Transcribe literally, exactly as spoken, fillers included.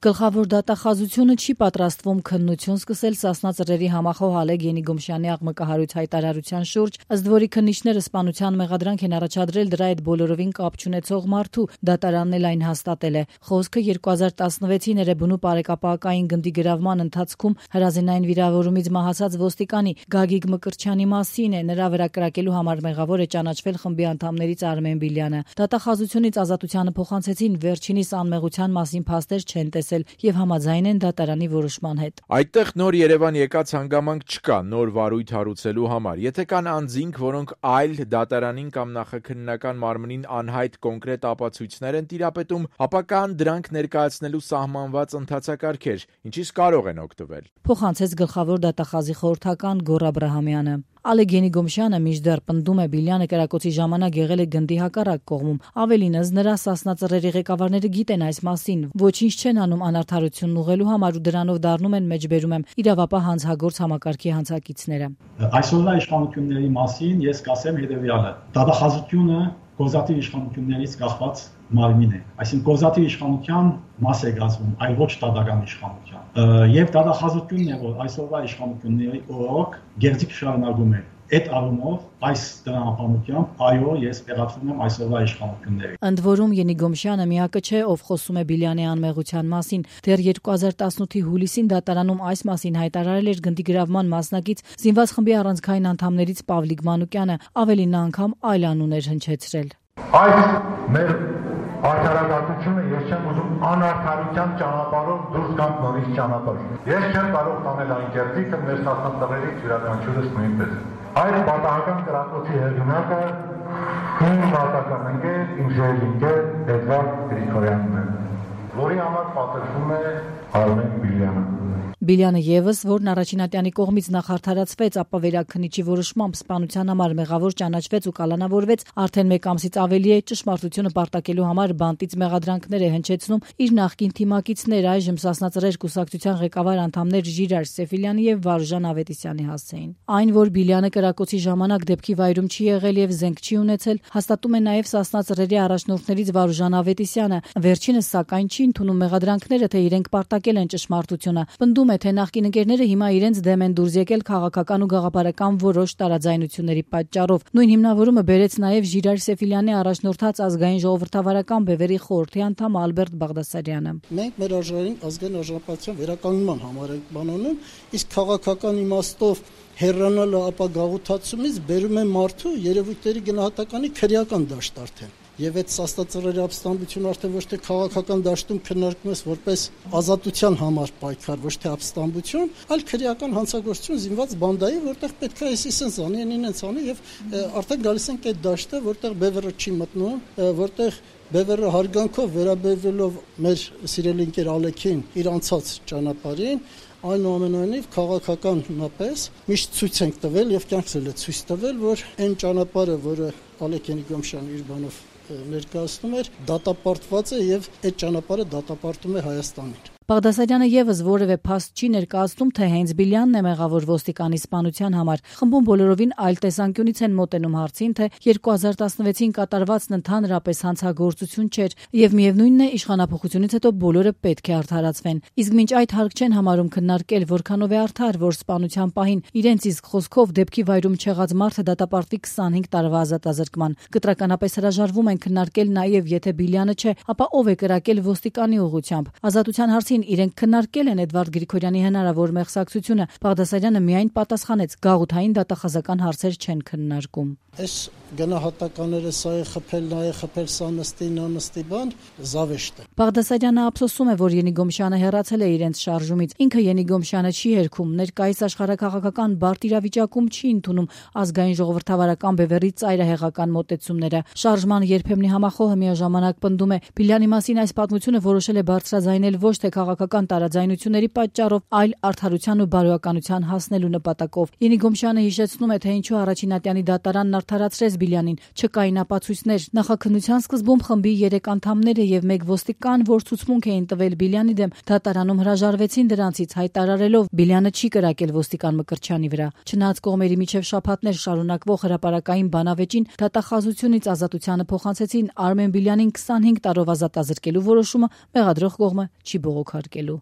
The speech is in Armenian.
Գլխավոր դատախազությունը չի պատրաստվում քննություն սկսել Սասնա Ծռերի համախոհ Ալեկ Ենիգոմշյանի աղմկահարույց հայտարարության շուրջ, ըստ որի քննիչները սպանության մեղադրանք են առաջադրել դրա հետ բոլորովին կապ չունեցող մարդու, դատարանն էլ այն հաստատել է։ Խոսքը երկու հազար տասնվեցի Ներեբունու պարեկապակային գնդի գրավման ընթացքում հրազենային վիրավորումից մահացած ոստիկանի Գագիկ Մկրտչյանի մասին է, նրա վրա կրակելու համար մեղավոր է ճանաչվել խմբի անդամներից Արմեն Բիլյանը։ Դատախազությունից ազատությանը փոխանցեցին վերջինիս անմեղության մասին փաստեր չեն տեսել եւ համաձայն են դատարանի որոշման հետ։ Այդտեղ նոր Երևան եկած հանգամանք չկա նոր վարույթ հարուցելու համար։ Եթե կան անձինք, որոնք այլ դատարանին կամ նախաքննական մարմնին անհայտ կոնկրետ ապացույցներ են տիրապետում, ապա կան դրանք ներկայացնելու սահմանված ընթացակարգեր, ինչից կարող են օգտվել։ Փոխանցեց գլխավոր դատախազի խորհրդական Գոռ Աբրահամյանը։ Ալեկ Ենիգոմշյանը մինչդեռ պնդում է Բիլյանը կրակոցի ժամանակ եղել է գնդի հակառակ կողմում։ Ավելին, ըստ նրա, Սասնա Ծռերի ղեկավարները գիտեն այս մասին, ոչինչ չեն անում անարդարությունն ուղղելու համար ու դրանով դառնում են, մեջբերում եմ, իրավապահ հանցագործ համակարգի հանցակիցները։ Այսօրվա իշխանությունների մասին ես կասեմ հետևյալը. դատախազությունը կոզատիվ իշխանություններից կախված մարմին է, այսինքն կոզատիվ իշխանության մաս է կազմում, այլ ոչ դատական իշխանության։ Եվ դատախազությունն է, որ այսօրվա իշխանությունների օրոք գերձիկ շարունակում է։ Այդ առումով այս տրամաբանությամբ այո, ես տեղադրում եմ այսօրվա իշխանությունների։ Ընդ որում Ենիգոմշյանը միակը չէ, ով խոսում է Բիլյանի անմեղության մասին։ Դեռ երկու հազար տասնութի հուլիսին դատարանում այս մասին հայտարարել էր գնդի գրավման մասնակից զինված խմբի առանցքային անդամներից Պավլիկ Մանուկյանը, ավելին նա անգամ այլ անուն էր հնչեցրել։ Այս մեր արդարադատությունը ես չեմ ուզում անարդարության ճանապարհով դուրս գանք նորից ճանապարհ։ Ես չեմ կարող տանել այն կերտիկը մեր Սասնա Ծռերից յուրաքանչյուրս նույնպես։ Այս պատահական կրակոցի հեղինակը իմ վատական ընկեր, իմ ժողովինգեր Էդվարդ Գրիգորյանն է, որի համար պատժվում է Արմեն Բիլյանը։ Բիլյանը եւս, որն առաջինատյանի կողմից նախարդարացվեց, ապա վերաքննիչի որոշմամբ սպանության համար մեղավոր ճանաչվեց ու կալանավորվեց, արդեն մեկ ամսից ավելի է ճշմարտությունը պարտակելու համար բանտից մեղադրանքներ է հնչեցնում իր նախկին թիմակիցներ, այժմ Սասնա Ծռեր կուսակցության ղեկավար անդամներ Ժիրայր Սեֆիլյանի եւ Վարուժան Ավետիսյանի հասցեին։ Այն, որ Բիլյանը կրակոցի ժամանակ դեպքի վայրում չի եղել եւ զենք չի ունեցել, հաստատում է նաեւ Սասնա Ծռերի առաջնորդներից Վարուժան Ավետիսյանը։ Վերջինս սակայն չի ընդունում մեղադրանքները, թե իրենք պարտակել են ճշմարտությունը։ Պնդում է, թե նախկին ընկերները հիմա իրենց դեմ են դուրս եկել քաղաքական ու գաղափարական որոշ տարաձայնությունների պատճառով։ Նույն հիմնավորումը բերեց նաև Ժիրայր Սեֆիլյանի առաջնորդած ազգային ժողովրդավարական բևերի խորհրդի անդամ Ալբերտ Բաղդասարյանը։ Մենք մեր աշխարհին ազգային արժանապատվության վերականգնման համար ենք բանանում, իսկ քաղաքական իմաստով հեռանալը ապա գաղութացումից բերում է մարդու երևույթների գնահատականի քրեական դաշտ արդեն։ Եվ այդ Սասնա Ծռերի ապստամբությունը արդեն ոչ թե քաղաքական դաշտում քննարկվում է որպես ազատության համար պայքար, ոչ թե ապստամբություն, այլ քրեական հանցագործություն զինված բանդայի, որտեղ պետք է այսինքն զանի, ինենց անի եւ արդեն գալիս ենք այդ դաշտը, որտեղ բևեռը չի մտնում, որտեղ բևեռը հարգանքով վերաբերվելով մեր սիրելի ընկեր Ալեքին իր անցած ճանապարհին այնուամենայնիվ քաղաքականապես միշտ ցույց ենք տվել եւ կյանքս էլ է ցույց տվել, որ այն ճանապարհը, որը Ալեկ Ենիգոմշյանը իր բանով ներկայացնում էր, դատապարտված է եւ այդ ճանապարհը դատապարտում է Հայաստանին։ Բաղդասարյանը եւս որևէ փաստ չի ներկայացնում, թե հենց Բիլյանն է մեղավոր ոստիկանի սպանության համար։ Խմբում բոլորովին այլ տեսանկյունից են մոտենում հարցին, թե երկու հազար տասնվեցին կատարվածն ընդհանրապես հանցագործություն չէր եւ միևնույնն է իշխանափոխությունից հետո բոլորը պետք է արդարացվեն։ Իսկ մինչ այդ հարկ չեն համարում քննարկել, որքանով է արդար, որ սպանության պահին իրենց իսկ խոսքով դեպքի վայրում չեղած մարդը դատապարտվի քսանհինգ տարվա ազատազրկման։ Կտրականապես հրաժարվում են քննարկել նաեւ, եթե Բիլյանը չէ, ապա ով է կրակել ոստիկանի ուղղությամբ։ Ազատության հարցին իրենք քննարկել են Էդվարդ Գրիգորյանի հնարավոր մեղսակցությունը, Բաղդասարյանը միայն պատասխանեց՝ գաղութային դատախազական հարցեր չեն քննարկում։ Այս գնահատականները սա է խփել, նա է խփել, սա նստի, նա նստի բան, զավեշտ է։ Բաղդասարյանը ափսոսում է, որ Ենիգոմշյանը հեռացել է իրենց շարժումից։ Ինքը Ենիգոմշյանը չի երգում, ներկայիս աշխարհակաղակական բարդ իրավիճակում չի ընդունում ազգային ժողովրդավարական բևերի ծայրահեղական մոտեցումները։ Շարժման երբեմնի համախոհը միաժամանակ պնդում է Բիլյանի մասին այս պատմությունը որոշել է բարձրաձայնել ոչ թե քաղաքական տարաձայնությունների պատճառով, այլ արդարության ու բարոյականության հասնելու նպատակով։ Ենիգոմշյանը հիշեցնում է, թե ինչու առաջինատյանի դատարանն արդարացրեց Բիլյանին, չկային ապացույցներ։ Նախաքննության սկզբում խմբի երեք անդամները եւ մեկ ոստիկան, որ ցուցմունք էին տվել Բիլյանի դեմ, դատարանում հրաժարվեցին դրանցից, հայտարարելով Բիլյանը չի կրակել ոստիկան Մկրտչյանի վրա։ Չնայած կողմերի միջև շաբաթներ շարունակվող հրապարակային բանավեճին դատախազությունից ազատությանը փոխանցեցին Արմեն Բիլյանին քսանհինգ տարով ազատազրկելու որոշումը մեղադրող կողմը չի բողոքարկելու։